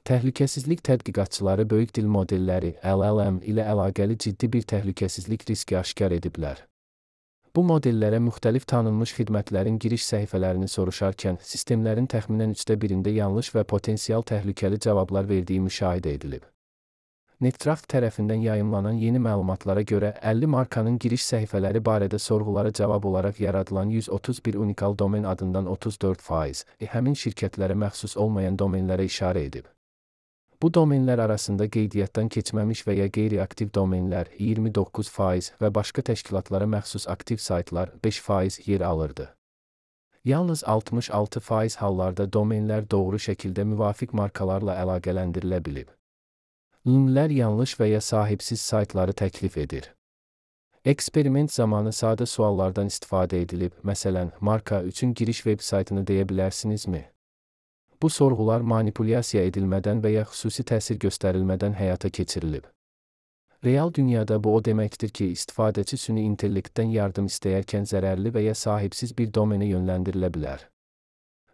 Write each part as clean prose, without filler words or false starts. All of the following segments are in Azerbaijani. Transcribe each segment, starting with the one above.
Təhlükəsizlik tədqiqatçıları böyük dil modelləri (LLM) ilə əlaqəli ciddi bir təhlükəsizlik riski aşkar ediblər. Bu modellərə müxtəlif tanınmış xidmətlərin giriş səhifələrini soruşarkən, sistemlərin təxminən 1/3-də yanlış və potensial təhlükəli cavablar verdiyi müşahidə edilib. Netcraft tərəfindən yayımlanan yeni məlumatlara görə 50 markanın giriş səhifələri barədə sorğulara cavab olaraq yaradılan 131 unikal domen adından 34% həmin şirkətlərə məxsus olmayan domenlərə işarə edib. Bu domenlər arasında qeydiyyatdan keçməmiş və ya qeyri-aktiv domenlər 29% və başqa təşkilatlara məxsus aktiv saytlar 5% yer alırdı. Yalnız 66% hallarda domenlər doğru şəkildə müvafiq markalarla əlaqələndirilə bilib. LLM'lər yanlış və ya sahibsiz saytları təklif edir. Eksperiment zamanı sadə suallardan istifadə edilib, məsələn, marka üçün giriş veb saytını deyə bilərsinizmi? Bu sorğular manipulyasiya edilmədən və ya xüsusi təsir göstərilmədən həyata keçirilib. Real dünyada bu o deməkdir ki, istifadəçi süni intellektdən yardım istəyərkən zərərli və ya sahibsiz bir domenə yönləndirilə bilər.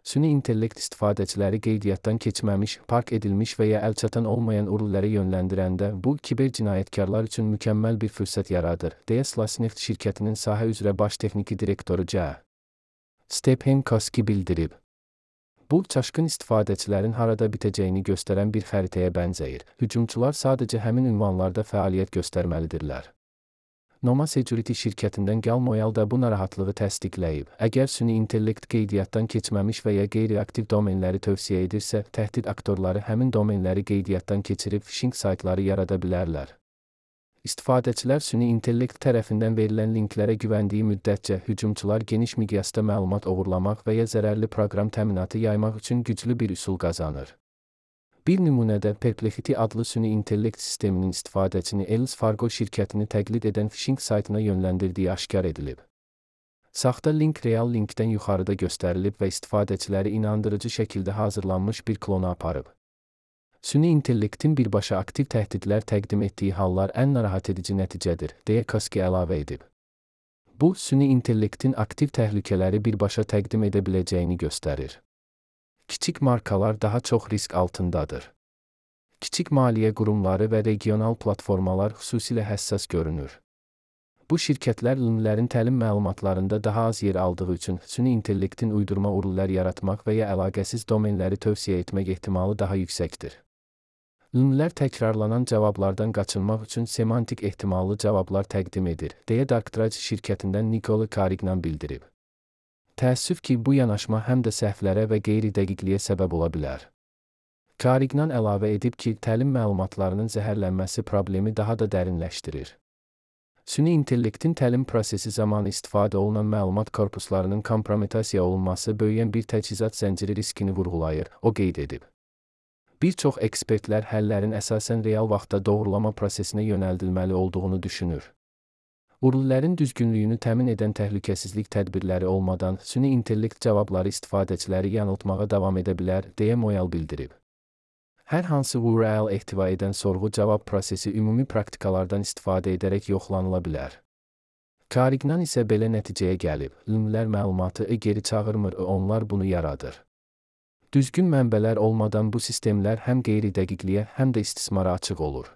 Süni intellekt istifadəçiləri qeydiyyatdan keçməmiş, park edilmiş və ya əlçatan olmayan URL-lərə yönləndirəndə bu, kiber cinayətkarlar üçün mükəmməl bir fürsət yaradır, deyə Slasneft şirkətinin sahə üzrə baş texniki direktoru C. Stephen Koski bildirib. Bu, çaşqın istifadəçilərin harada bitəcəyini göstərən bir xəritəyə bənzəyir. Hücumçular sadəcə həmin ünvanlarda fəaliyyət göstərməlidirlər. Noma Security şirkətindən Gal Moyal da bu narahatlığı təsdiqləyib. Əgər süni intellekt qeydiyyatdan keçməmiş və ya qeyri-aktiv domenləri tövsiyə edirsə, təhdid aktorları həmin domenləri qeydiyyatdan keçirib phishing saytları yarada bilərlər. İstifadəçilər süni intellekt tərəfindən verilən linklərə güvəndiyi müddətcə hücumçular geniş miqyasda məlumat oğurlamaq və ya zərərli proqram təminatı yaymaq üçün güclü bir üsul qazanır. Bir nümunədə Perplexity adlı süni intellekt sisteminin istifadəçini Wells Fargo şirkətini təqlid edən phishing saytına yönləndirdiyi aşkar edilib. Saxta link real linkdən yuxarıda göstərilib və istifadəçiləri inandırıcı şəkildə hazırlanmış bir klona aparıb. Süni intellektin birbaşa aktiv təhdidlər təqdim etdiyi hallar ən narahat edici nəticədir, deyə Koski əlavə edib. Bu, süni intellektin aktiv təhlükələri birbaşa təqdim edə biləcəyini göstərir. Kiçik markalar daha çox risk altındadır. Kiçik maliyyə qurumları və regional platformalar xüsusilə həssas görünür. Bu şirkətlər LLM'lərin təlim məlumatlarında daha az yer aldığı üçün süni intellektin uydurma URL-lər yaratmaq və ya əlaqəsiz domenləri tövsiyə etmək ehtimalı daha yüksəkdir. LLM'lər təkrarlanan cavablardan qaçınmaq üçün semantik ehtimallı cavablar təqdim edir, deyə Darktrace şirkətindən Nicole Carignan bildirib. Təəssüf ki, bu yanaşma həm də səhvlərə və qeyri-dəqiqliyə səbəb ola bilər. Carignan əlavə edib ki, təlim məlumatlarının zəhərlənməsi problemi daha da dərinləşdirir. Süni intellektin təlim prosesi zamanı istifadə olunan məlumat korpuslarının kompromitasiya olunması böyüyən bir təchizat zənciri riskini vurğulayır, o qeyd edib. Bir çox ekspertlər həllərin əsasən real vaxtda doğrulama prosesinə yönəldilməli olduğunu düşünür. URL-lərin düzgünlüyünü təmin edən təhlükəsizlik tədbirləri olmadan süni intellekt cavabları istifadəçiləri yanıltmağa davam edə bilər, deyə Moyal bildirib. Hər hansı URL ehtiva edən sorğu-cavab prosesi ümumi praktikalardan istifadə edərək yoxlanıla bilər. Carignan isə belə nəticəyə gəlib, LLM'lər məlumatı geri çağırmır, onlar bunu yaradır. Düzgün mənbələr olmadan bu sistemlər həm qeyri-dəqiqliyə, həm də istismara açıq olur.